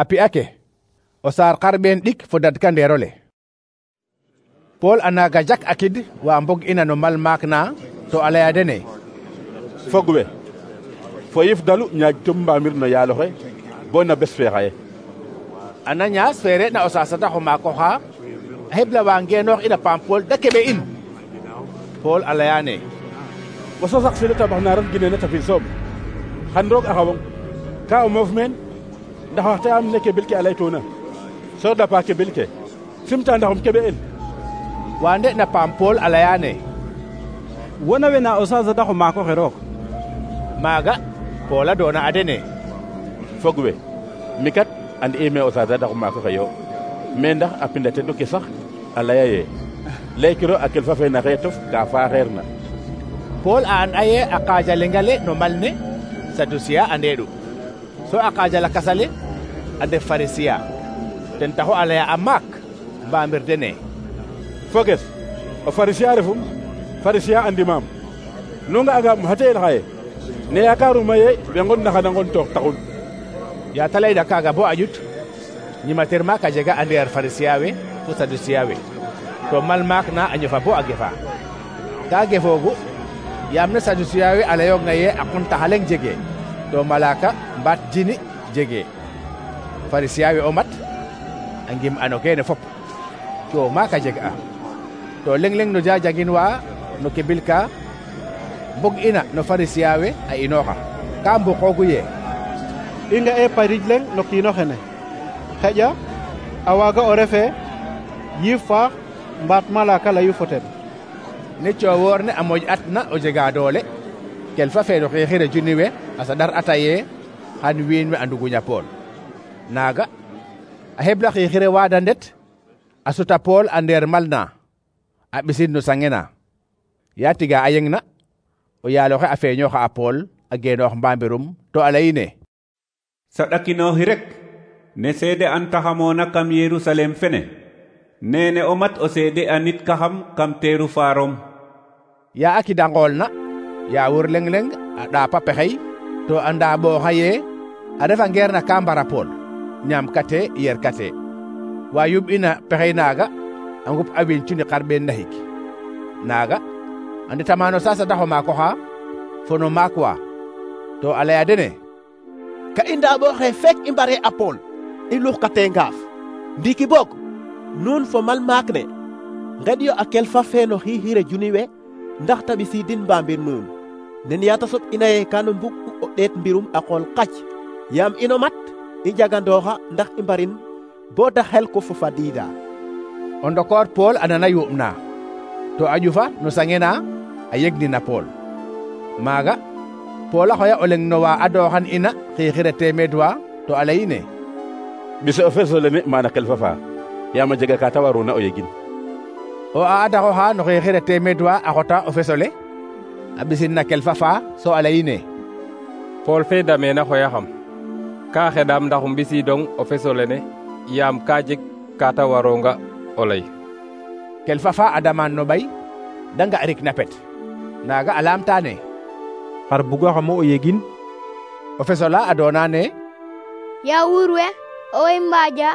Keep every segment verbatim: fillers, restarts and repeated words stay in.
a pi'ake o saar xarɓeen ɗik fo dadka ndeerole. Pool a naaga jak akid wa mbog ina no mal maak na to a laya dene: fog we fo yif dalu ñaaj tum mbaamir no yaaloxe bo na bes fe xaye. Ananias fe re'na o saasatax o maak oxa a xebla wa ngeenoox ina paam Pool da keɓe in. Pool a layaane: o sosax sile tabax na ref gineena tafil soom xan roog a xawong ka o moof meen ndax waxta am ne keɓel ke a laytoona so dapa keɓel ke simta ndaxum keɓe el. wa nde na paam Pool a layaane: wona we na o saasatax o maak oxe roog. Maaga Pool a doona a dene: fog we mi kat and ime o saasatax o maak oxe yo mais ndax a pinda tenu ke sax a laya ye laykiro a kelfa fe na xeetof ka faaxeer na. Pool a an aye a qaaja lengale no mal ne Sadusiya a ndeeɗu, so a qaaja lakasale a ndef Farisiya. ten taxu a laya a maak mbaamir dene: foges o Farisiya refum, Farisiya andimaam. nu nga'angaam xa teel xaye ne yaakaaruma ye we ngon na xana ngon toox taxun. yaa ta layna kaaga bo a ƴut ñimatir maak a jega a ndeer Farisiya we fo Sadusiya we, to mal maak na a ñofa bo a gefa. ka gefoogu yaam ne Sadusiya we a layoogna ye a quntax a leŋ jege to malaaka mbaat jini jege. Farisiya we o mat a ngim ano kene fop to maak a jeg a to leŋ leŋ no jajangin wa no kebil ka mbog ina no Farisiya we a inooxa ka mbuqoogu ye i nga'e parij leŋ no kiino xene xeƴa a waaga o refe yiif faax mbaat malaaka layu fo ten. ne coowoor ne a moƴ atna o jega doole kelfa fe no xeexire juni we a saɗar ata ye xan wiin we a nduguña Pool. naaga a xebla xiixire waada ndet a suta Pool a ndeer mal na a ɓisin no sange na. yaa tiga a yeng na o yaaloxe a feeñooxa a Pool a geenoox mbambirum to a layine: saɗakinooxi rek ne seede antaxamoona kam Yerusalem fene nene o mat o seede a nit kaxam kam teeru faarom. yaa a kida ngool na yaa wur leŋ leŋ a ɗaapa pexey to a ndaaɓooxa ye a refa ngeer na ka mbara Pool ñaam kate yer kate. wa yub ina pexey naaga a ngup a wiin cuni xarɓeen naxik. naaga a ndetama no saasatax o maak oxa fo no maak wa to a laya dene: ka i ndaaɓooxe fek i mbare a Pool i luxkate ngaaf. ndiiki boog nuun fo mal maak ne ngeɗyo a kelfa fe no xiixire juni we ndax ta ɓisiidin mbaambir nuun nen yaa ta soɓ ina ye kano mbug u o ɗeet mbirum a qool qac yaam ino mat i njagandooxa ndax i mbarin bo da xel ko fo fadiida. o ndokoor Pool a nana yuuɓ na to a ƴufa no sange na a yegnina Pool. maaga Pool a xoya o leŋ no wa adooxan ina xiixire teemeed wa to a layine: ɓise o feso lene mana kelfa fa yaam a jega ka ta waruna o yegin. o a adaxoxa no xiixire teemeed wa a xota o fesole a ɓisin na kelfa fa so a layine: Pool fe dameena xoyaxam ka xeɗaam ndax um ɓisiidong o feso lene yaam ka jeg ka ta waronga o lay. kelfa fa a damaan no ɓay da nga'rik na pet. naaga a laamtaane: xar bugaxamo o yegin? o fesola a doonaane: yaa wuur we owey mbaaja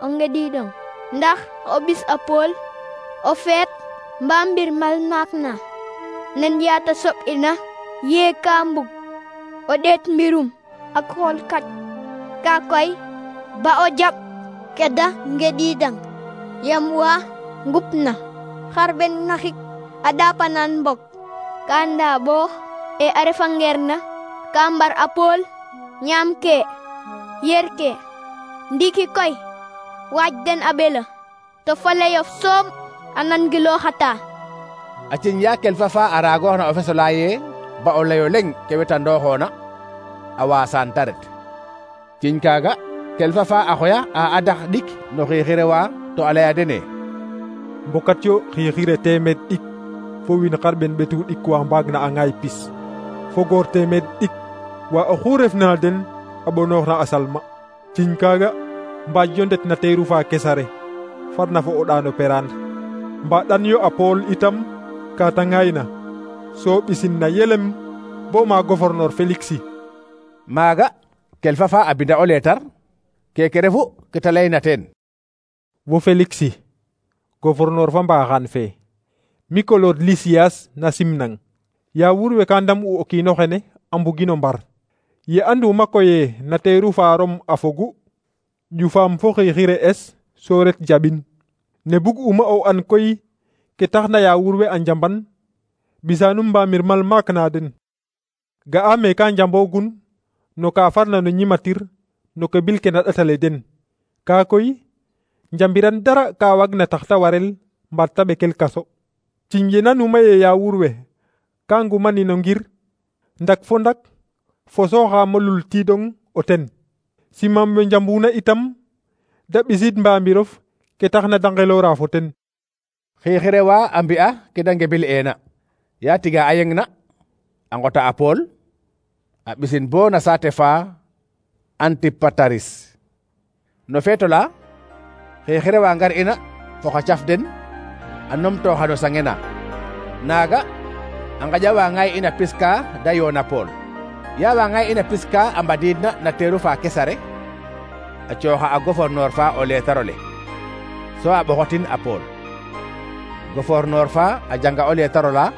o ngediidong ndax o ɓis a Pool o feet mbaa mbir mal maak na nen yaata soɓ ina yee ka mbug o ɗeet mbirum ak xool kac ka koy ba o jaɓ keda ngediidang yam wa ngup na xarɓen naxik a ɗaapanan mbog ka ndaabo e a refa ngeer na ka mbar a Pool ñaam ke yer ke ndiki koy waaj den a ɓela to faleyof soom a nangilooxata. a ciñ yaa kelfa fa a raagooxna o fesola ye ba o layo leŋ ke wetandooxoona a waasaan ta ret. ciñ kaaga kelfa fa a xoya a adax ɗik no xiixire wa to a laya dene: mbokat yo xiixire teemeed ɗik fo wiin xarɓen ɓetu ɗik wa mbaag na a ŋaay pis fo goor teemeed ɗik wa oxu refna den a ɓonooxna a salma. ciñ kaaga mbaaj yo ndet na teeru fa kesare farna fo o ɗaano peraan mbaɗan yo a Pool itam ka ta ŋaayna so ɓisin na yelem bo ma gouverneur Félix. maaga kelfa fa a binda o leetar keke refu ke ta layna teen. wo Feliksi gouverneur fa mbaxaan fe mi kolod Lisias na simnang yawur we ka ndam u o kiino xene a mbugino mbar ye anduma koye na teeru faarom a fogu ƴufaam fo xiixire es so ret jaɓin ne bug uma o an koy ke taxna yawur we a njamban bisanum mbamir mal maak na den ga'a me ka njambogun no ka farna no ñimatir no ke bil ke na ɗatale den ka koy njambiran dara ka wagna tax ta warel mbaat ta ɓekel kaso ciñ ye nanuma ye yawur we ka ngumanino ngir ndak fo ndak fo sooxa molul tidong o ten simam we njambuna itam da ɓisid mbambirof ke taxna da ngelora fo ten. xiixire wa a mbi'a ke da ngebil eena ya tiga a yeng na a ngota a Pool a ɓisin bo na saate fa Antipataris no feeto la xiixire wa ngar ina fo xa caf den a numtooxa no sangena naaga a ngaƴa wa ngay ina piska da yoona Pool ya wa ngay ina piska a mbadiidna na teeru fa Kesare a cooxa a gouverneur fa o leetarole so a ɓoxotin a Pool gouverneur fa a janga o leetarola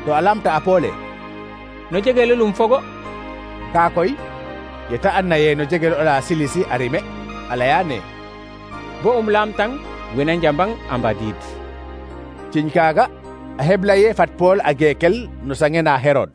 to a lamta a Pool e no jegelelum fogo ka koy ye ta anna ye no jegel ola Silisi a rime a layane bo um lamtang wena njambang a mbadiid ciñ kaaga a hebla ye fat Pool a geekel no sangena Herod